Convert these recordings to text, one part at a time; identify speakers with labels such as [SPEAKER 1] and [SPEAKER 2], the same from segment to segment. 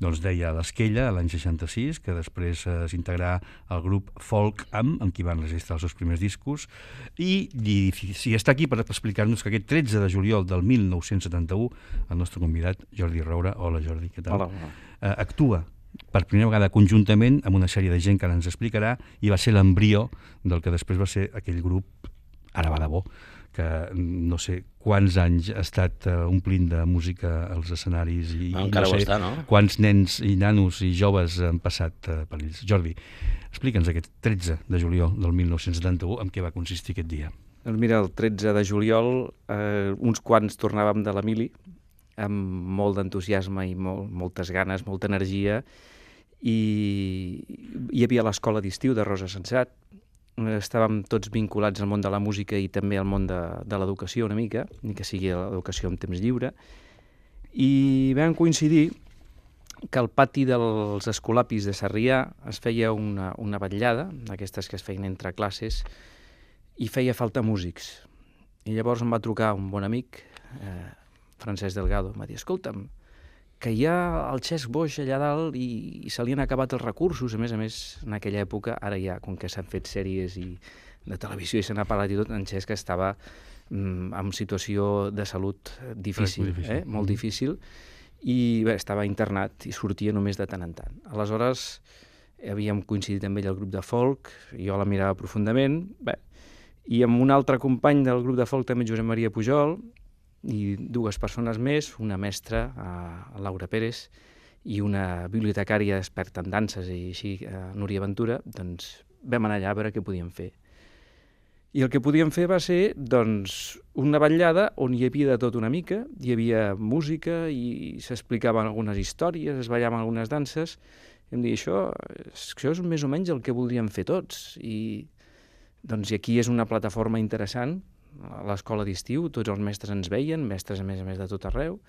[SPEAKER 1] doncs deia l'Esquella, l'any 66, que després s'integrà al grup Folk amb qui van registrar els seus primers discos, i està aquí per explicar-nos que aquest 13 de juliol del 1971 el nostre convidat, Jordi Roura, hola Jordi, què tal?
[SPEAKER 2] Hola.
[SPEAKER 1] Actua per primera vegada conjuntament amb una sèrie de gent que ara ens explicarà, i va ser l'embrió del que després va ser aquell grup Ara va de bo, que no sé quants anys ha estat omplint de música als escenaris i
[SPEAKER 2] encara
[SPEAKER 1] no sé
[SPEAKER 2] està, no?
[SPEAKER 1] Quants nens i nanos i joves han passat per ells. Jordi, explica'ns aquest 13 de juliol del 1971 en què va consistir aquest dia.
[SPEAKER 3] Doncs mira, el 13 de juliol uns quants tornàvem de la mili amb molt d'entusiasme i moltes ganes, molta energia, i hi havia l'escola d'estiu de Rosa Sensat. Estàvem tots vinculats al món de la música i també al món de l'educació una mica, ni que sigui l'educació en temps lliure, i vam coincidir que al pati dels Escolapis de Sarrià es feia una vetllada, d'aquestes que es feien entre classes, i feia falta músics. I llavors em va trucar un bon amic, Francesc Delgado, em va dir, escolta'm, que hi ha el Xesc Boix allà dalt i se li han acabat els recursos, a més, en aquella època, ara ja, com que s'han fet sèries de televisió i se n'ha parlat i tot, en Xesc estava en situació de salut difícil, molt difícil, i bé, estava internat i sortia només de tant en tant. Aleshores, havíem coincidit amb ell al grup de folk, jo la mirava profundament, bé, i amb un altre company del grup de folk, també Josep Maria Pujol, i dues persones més, una mestra, Laura Pérez, i una bibliotecària experta en danses i així, Núria Ventura, doncs vam anar allà a veure què podíem fer. I el que podíem fer va ser, doncs, una vetllada on hi havia de tot una mica, hi havia música i s'explicaven algunes històries, es ballaven algunes danses, i em dir, això és més o menys el que voldríem fer tots, i doncs aquí és una plataforma interessant, a l'escola d'estiu, tots els mestres ens veien, mestres a més de tot arreu,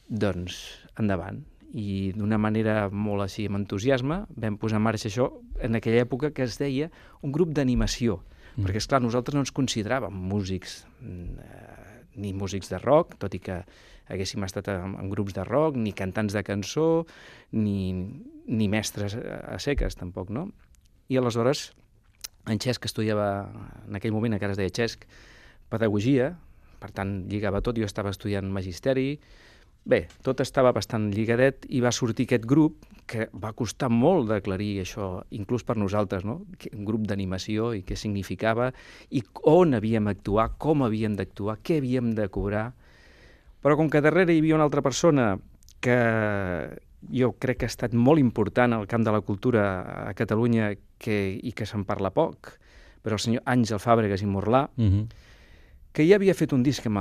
[SPEAKER 3] doncs endavant. I d'una manera molt així amb entusiasme vam posar en marxa això en aquella època que es deia un grup d'animació, perquè esclar, nosaltres no ens consideràvem músics, ni músics de rock, tot i que haguéssim estat en grups de rock, ni cantants de cançó, ni mestres a seques tampoc, no? I aleshores en Xesc estudiava, en aquell moment encara es deia Xesc, pedagogia, per tant lligava tot, jo estava estudiant magisteri, bé, tot estava bastant lligadet i va sortir aquest grup que va costar molt d'aclarir això, inclús per nosaltres, no? Un grup d'animació i què significava i on havíem d'actuar, com havíem d'actuar, què havíem de cobrar, però com que darrere hi havia una altra persona que jo crec que ha estat molt important al camp de la cultura a Catalunya i que se'n parla poc, però el senyor Àngel Fàbregas i Morlà, que ja havia fet un disc amb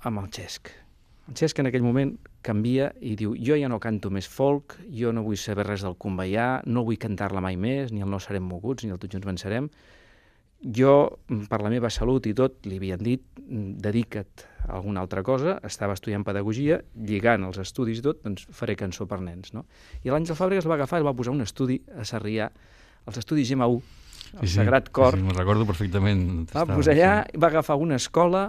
[SPEAKER 3] el Xesc. El Xesc en aquell moment canvia i diu, jo ja no canto més folk, jo no vull saber res del Conveià, no vull cantar-la mai més, ni el No serem moguts, ni el Tots junts vencerem. Jo, per la meva salut i tot, li havien dit, dedica't a alguna altra cosa, estava estudiant pedagogia, lligant els estudis i tot, doncs faré cançó per nens, no? I l'Àngel Fàbregas va agafar i va posar un estudi a Sarrià, els estudis Gemma 1, el Sagrat Cor.
[SPEAKER 1] Sí, me'n recordo perfectament.
[SPEAKER 3] Va posar allà, va agafar una escola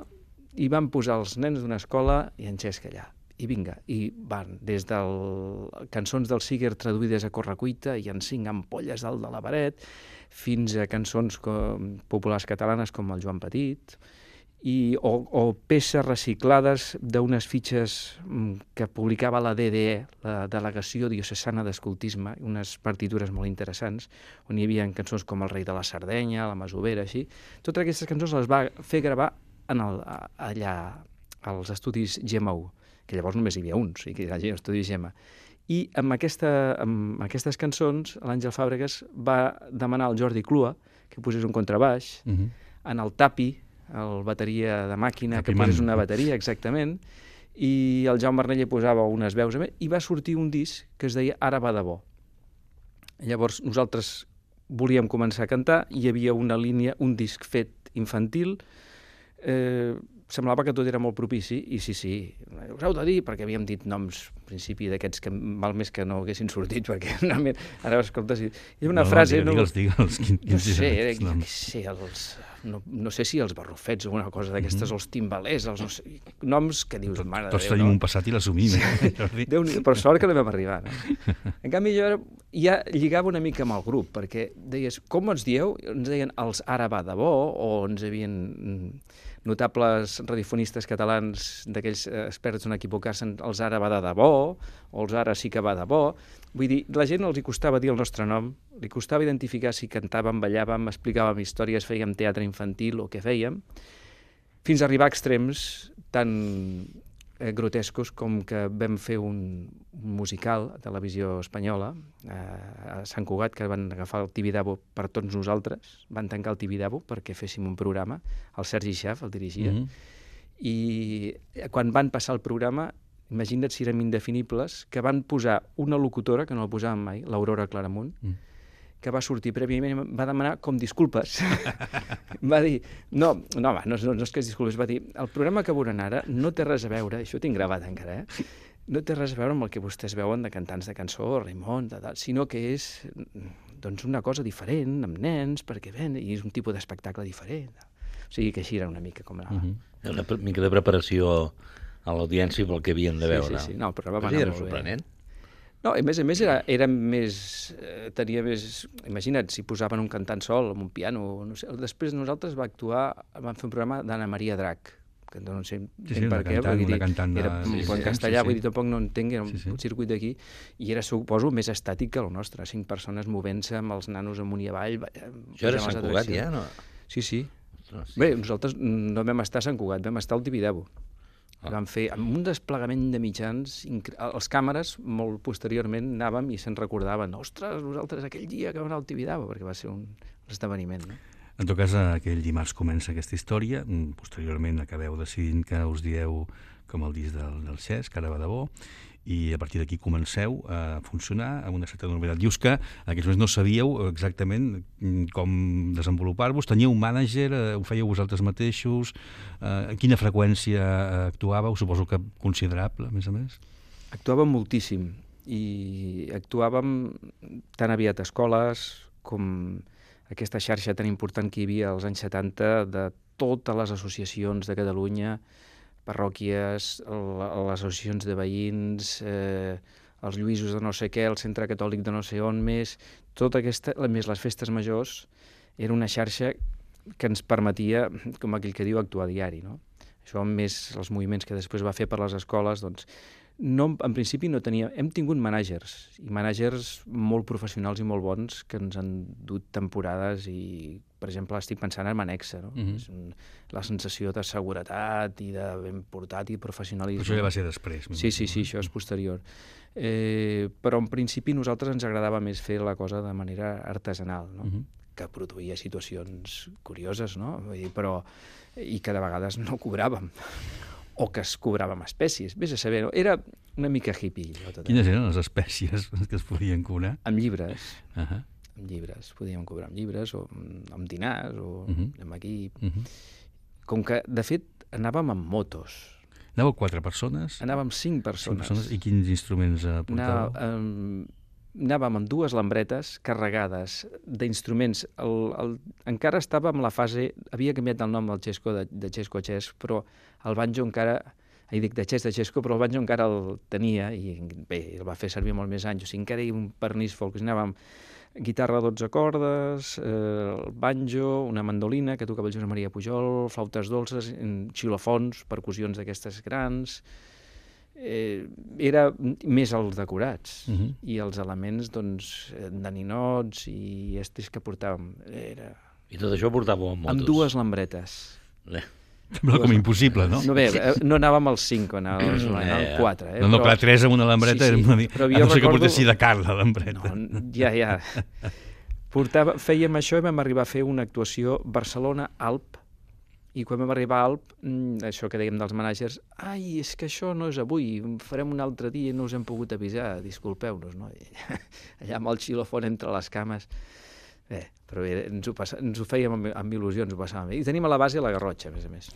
[SPEAKER 3] i van posar els nens d'una escola i en Xesc allà. I vinga, i van des de cançons del Siger traduïdes a correcuita i en 5 ampolles dalt de la paret, fins a cançons populars catalanes com el Joan Petit, o peces reciclades d'unes fitxes que publicava la DDE, la Delegació Diocesana d'Escoltisme, unes partitures molt interessants, on hi havia cançons com El rei de la Sardenya, La masovera, així. Totes aquestes cançons les va fer gravar allà als estudis Gemma 1, que llavors només hi havia uns, i que era l'estudi Gemma. I amb aquestes cançons l'Àngel Fàbregas va demanar al Jordi Clua que posés un contrabaix, en el Tapi, el bateria de màquina, que posés una bateria, exactament, i el Jaume Arnell hi posava unes veus, i va sortir un disc que es deia Ara va de bo. Llavors nosaltres volíem començar a cantar, hi havia una línia, un disc fet infantil, semblava que tot era molt propici, i sí, us heu de dir, perquè havíem dit noms, al principi, d'aquests que val més que no haguessin sortit, perquè realment, ara escoltes, i una frase...
[SPEAKER 1] Digue'ls,
[SPEAKER 3] no sé si els barrufets o una cosa d'aquestes, els timbalers, no sé, noms que dius, mare de Déu,
[SPEAKER 1] tots tenim un passat i l'assumim, Jordi.
[SPEAKER 3] Per sort que no vam arribar, no? En canvi, jo ja lligava una mica amb el grup, perquè deies, com ens dieu? Ens deien els ara va de bo, o ens havien notables radiofonistes catalans d'aquells experts en equivocar-se, els ara va de debò, o els ara sí que va de bo. Vull dir, la gent els hi costava dir el nostre nom, li costava identificar si cantàvem, ballàvem, explicàvem històries, fèiem teatre infantil o què fèiem, fins a arribar a extrems tan grotescos com que vam fer un musical a Televisió Espanyola, a Sant Cugat, que van agafar el Tibidabo per tots nosaltres, van tancar el Tibidabo perquè féssim un programa, el Sergi Xaf el dirigia, i quan van passar el programa, imagina't si érem indefinibles, que van posar una locutora, que no la posàvem mai, l'Aurora Claramunt, que va sortir prèviament i va demanar com disculpes. Va dir, no és que es disculpes, va dir, el programa que veuran ara no té res a veure, això ho tinc gravat encara, no té res a veure amb el que vostès veuen de cantants de cançó, Raimon, sinó que és doncs, una cosa diferent, amb nens, perquè ven, i és un tipus d'espectacle diferent. O sigui que així era una mica com anava.
[SPEAKER 2] Una mica de preparació a l'audiència pel que havien de veure.
[SPEAKER 3] Sí. No, el programa va anar
[SPEAKER 2] era
[SPEAKER 3] molt
[SPEAKER 2] sorprenent.
[SPEAKER 3] bé. No, a més era més... tenia més... Imagina't, si posaven un cantant sol amb un piano, no sé. Després nosaltres vam fer un programa d'Anna Maria Drac, que no sé per què,
[SPEAKER 1] una cantant
[SPEAKER 3] era en castellà, vull dir, tampoc no entenc, era un circuit d'aquí, i era, suposo, més estàtic que el nostre, 5 persones movent-se amb els nanos amunt i avall.
[SPEAKER 2] Això era Sant Cugat, ja, no?
[SPEAKER 3] Sí. Bé, nosaltres no vam estar a Sant Cugat, vam estar al Tibidabo. Vam fer amb un desplegament de mitjans, els càmeres, molt posteriorment, anàvem i se'n recordaven, ostres, nosaltres aquell dia que vam anar al Tibidabo, perquè va ser un esdeveniment, no?
[SPEAKER 1] En tot cas, aquell dimarts comença aquesta història, posteriorment acabeu decidint que us dieu com el disc del Xesc, que ara va de bo, i a partir d'aquí comenceu a funcionar amb una certa normalitat. Dius que en aquells moments no sabíeu exactament com desenvolupar-vos, teníeu un mànager, ho fèieu vosaltres mateixos, en quina freqüència actuàveu, suposo que considerable, a més?
[SPEAKER 3] Actuàvem moltíssim, i actuàvem tan aviat a escoles com aquesta xarxa tan important que hi havia als anys 70 de totes les associacions de Catalunya, parròquies, les associacions de veïns, els Lluïsos de no sé què, el Centre Catòlic de no sé on més, tota aquesta, més les festes majors, era una xarxa que ens permetia, com aquell que diu, actuar a diari, no? Això, més els moviments que després va fer per les escoles, doncs, en principi no teníem... Hem tingut mànagers, i mànagers molt professionals i molt bons, que ens han dut temporades i, per exemple, estic pensant en Manexa, no? La sensació de seguretat i de ben portat i professionalisme.
[SPEAKER 1] Però això ja va ser després.
[SPEAKER 3] Sí, això és posterior. Però en principi a nosaltres ens agradava més fer la cosa de manera artesanal, no? Que produïa situacions curioses, no? Però, i que de vegades no cobràvem, o que es cobrava amb espècies. Vés a saber, no? Era una mica hippie.
[SPEAKER 1] Quines eren les espècies que es podien cobrar?
[SPEAKER 3] Amb llibres. Amb llibres. Podíem cobrar amb llibres, o amb dinars, o amb equip. Com que, de fet, anàvem amb motos.
[SPEAKER 1] Anàveu 4 persones?
[SPEAKER 3] Anàvem 5 persones.
[SPEAKER 1] I quins instruments portàveu?
[SPEAKER 3] Anàvem amb 2 lambretes carregades d'instruments. Encara estava en la fase... Havia canviat el nom del Xesco, de Xesco a Xesc, però el banjo encara... dic de Xesc de Xesco, però el banjo encara el tenia, i bé, el va fer servir molt més anys. O sigui, encara hi havia un pernís folk. Anàvem guitarra a 12 cordes, el banjo, una mandolina que tocava el Josep Maria Pujol, flautes dolces, xilofons, percussions d'aquestes grans... era més els decorats i els elements, doncs, de ninots i estis que portàvem.
[SPEAKER 2] I tot això portàveu amb motos?
[SPEAKER 3] Amb 2 lambretes.
[SPEAKER 1] Sembla com impossible, no?
[SPEAKER 3] No, bé, no anàvem als 5, anàvem als 4.
[SPEAKER 1] No, clar, 3 amb una lambreta, a no ser que portessi de car, la lambreta.
[SPEAKER 3] Ja. Fèiem això i vam arribar a fer una actuació Barcelona-Alp, i quan vam arribar a Alp, això que dèiem dels mànagers, ai, és que això no és avui, farem un altre dia i no us hem pogut avisar, disculpeu-nos, no? Allà amb el xilofon entre les cames. Bé, però bé, ens ho fèiem amb il·lusió, ens ho passàvem bé. I tenim a la base la Garrotxa, a més a més.